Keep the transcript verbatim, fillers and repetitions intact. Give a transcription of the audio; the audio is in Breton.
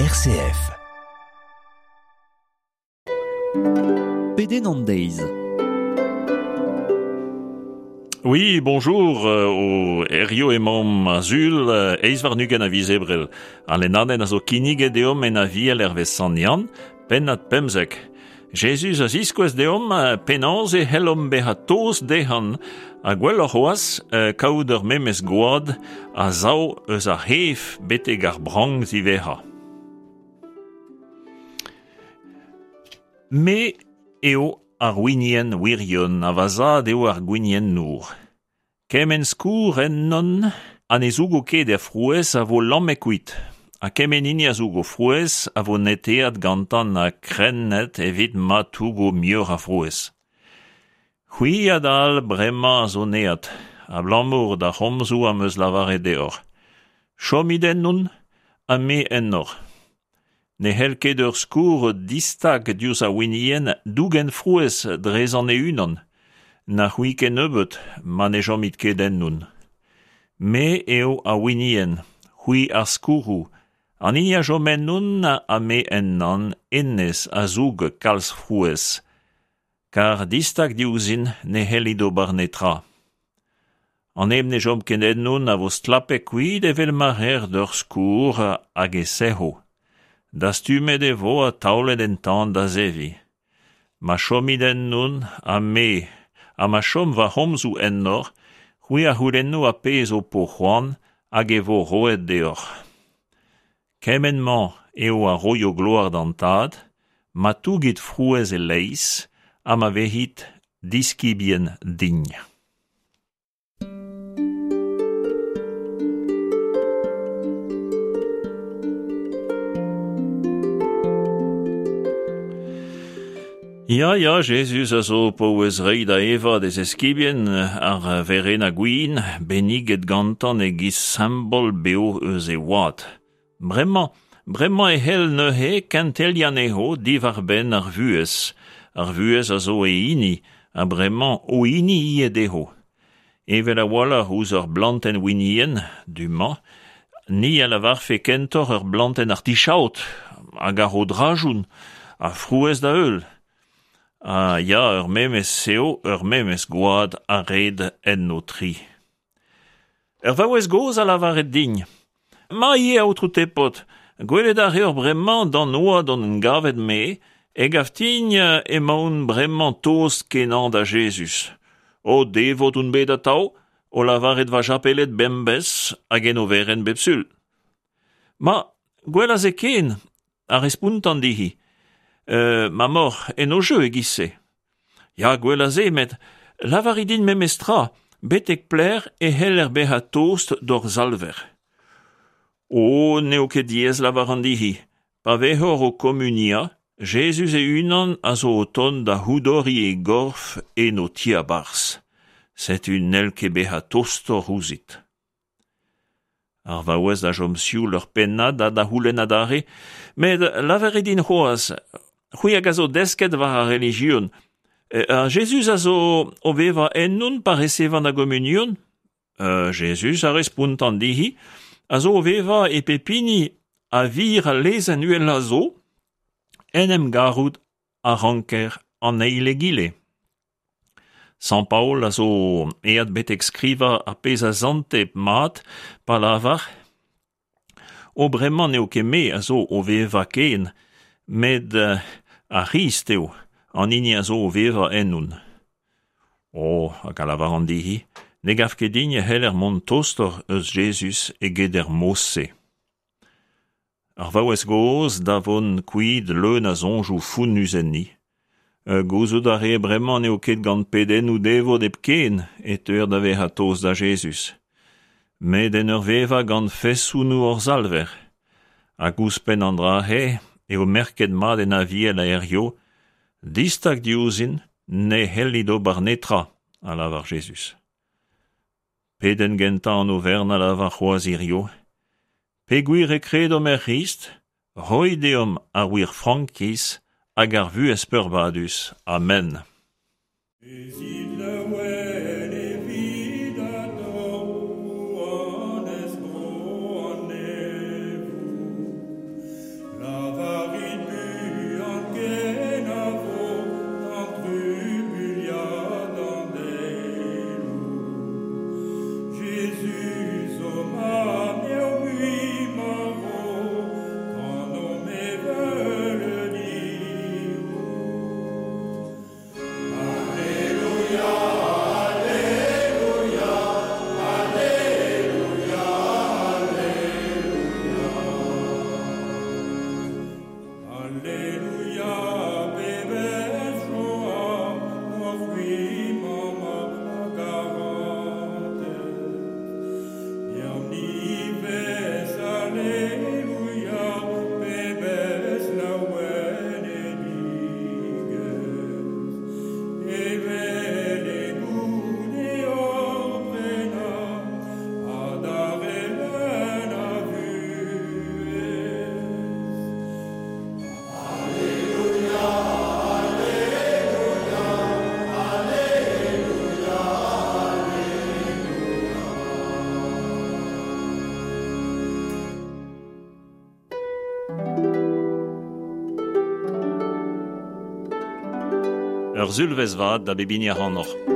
R C F. Pedenn an deiz. Oui, bonjour, euh, o Erio emaomp a sul, euh, eizh warn-ugent a viz Ebrel. Al lennadenn a zo kinniget deomp en Aviel hervez Sant Yann, pennad pemzek. Jezuz a ziskouez deomp euh, penaos e c'hellomp bezañ tost dezhañ, ha gwelloc'h c'hoazh euh, kaout ur memes gwad a sav eus ar c'hef betek ar brank ziwezhañ. Me eo ar winienn wirion ha va zad eo ar gwiniennour. Kement skourr ennon ha ne zougo ket a frouezh a vo lamet kuit. Ha kement hini a zougo frouezh a vo netaet gantañ ha krennet evit ma tougo muioc'h a frouezh. C'hwi adal bremañ a zo neat, abalamour d'ar c'homzoù am eus lavaret deoc'h. Chomit ennon, ha me ennoc'h. Ne c'hell ket ur skourr distag diouzh ar winienn dougen frouezh drezañ e-unan, na c'hwi kennebeut ma ne chomit ket ennon. Me eo ar winienn, c'hwi ar skourroù, an hini a chom ennon ha me ennañ, hennezh a zoug kalz frouezh, kar distag diouzhin ne c'hellit ober netra. An neb ne chom ket ennon a vo stlapet kuit evel ma reer d'ur skourr hag e sec'ho. Dastumet e vo ha taolet en tan da zeviñ. Ma chomit ennon ha me, ha ma chom va c'homzoù ennoc'h, c'hwi a c'houlenno ar pezh ho po c'hoant hag e vo roet deoc'h. Kement-mañ eo a roio gloar d'an Tad, ma tougit frouezh e-leizh ha ma vezit diskibien din. Ya, ya, Jezuz a zo paouez reiñ da evañ d'e zeskibien ar werenn gwin, benniget gantañ e-giz simbol bev eus e wad. Bremañ, bremañ e c'hell neuze kenteliañ anezho diwar-benn ar vuhez. Ar vuhez a zo e hini, ha bremañ o hini ivez dezho. Evel a-walc'h ouzh ur blantenn winienn, du-mañ, ni a lavarfe kentoc'h ur blantenn artichaod, hag a ro drajoun, ha frouezh da heul. Ha ya, ur memes eo, ur memes gwad a red enno tri. Ur vaouez gozh a lavaret din. Ma ivez, aotrou Tepot, gwelet a reoc'h bremañ d'an oad on en gavet me, e gav din emaon bremañ tost kenañ da Jezuz. O devot on bet atav, o lavaret va japeled bemdez hag en overenn bep sul. Ma, gwell a se ken, a respontan dezhi. Euh, ma moc'h en o jeu e-giz-se. Ya, gwell a se, met lavarit din memes tra, betek pelec'h e c'heller bezañ tost d'hor Salver. O, n'eo ket diaes lavaran dezhi. Pa vezoc'h o komuniañ, Jezuz e-unan a zo o tont da c'houdoriñ e gorf en ho tiabarzh. Setu n'hell ket bezañ tostoc'h ouzhit. Ar vaouez a chom sioul ur pennad ha da c'houlenn adarre, met lavarit din c'hoazh, c'hwi hag a zo desket war ar relijion, ha Jezuz a zo o vevañ ennon pa resevan ar gomunion? Euh, Jezuz a respontan dezhi, a zo o vevañ e pep hini a vir al lezenn uhelañ zo, en em garout a ranker an eil egile. Sant Paol a zo aet betek skrivañ ar pezh a sante mat pa lavar O bremañ n'eo ket me a zo o vevañ ken, met ar C'hrist eo, an hini a zo o vevañ ennon. O, hag a lavaran dezhi, ne gav ket din e c'heller mont tostoc'h eus Jezuz eget er mod-se. Ar vaouez gozh da vont kuit leun a soñjoù fonnus enni. Gouzout a rae bremañ n'eo ket gant pedennoù devot hepken e teuer da vezañ tost da Jezuz. Met en ur vevañ gant fesonoù hor Salver. Hag ouzhpenn an dra-se eo merket mat en Aviel a hiziv, distag diouzhin ne c'hellit ober netra, a lavar Jezuz. Pedenn gentañ an overenn a lavar c'hoazh hiziv. Peogwir e kredomp er C'hrist, roit deomp ar wir frankiz hag ar vuhez peurbadus. Amen. Bezit laouen evit atao, rouanez bro an neñvoù. Ur sulvezh vat da bep hini ac'hanoc'h.